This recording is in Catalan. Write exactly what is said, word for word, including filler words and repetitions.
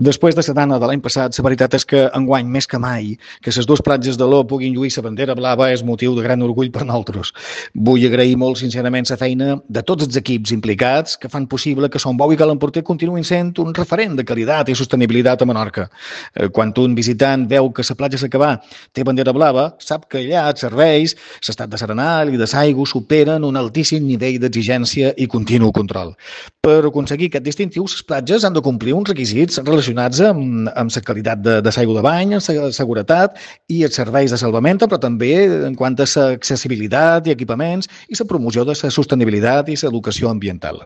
Després de la dana de l'any passat, la veritat és que enguany més que mai que les dues platges de l'O puguin lluir la bandera blava és motiu de gran orgull per nosaltres. Vull agrair molt sincerament la feina de tots els equips implicats que fan possible que Son Bou i Cal Emporter continuïn sent un referent de qualitat i sostenibilitat a Menorca. Quan un visitant veu que la platja s'acabà té bandera blava, sap que allà els serveis, l'estat de serenal i de l'aigua superen un altíssim nivell d'exigència i continu control. Per aconseguir aquest distintiu, les platges han de complir uns requisits relacionats amb, amb la qualitat de, de l'aigua de bany, la seguretat i els serveis de salvament, però també en quant a l'accessibilitat i equipaments i la promoció de la sostenibilitat i l'educació ambiental.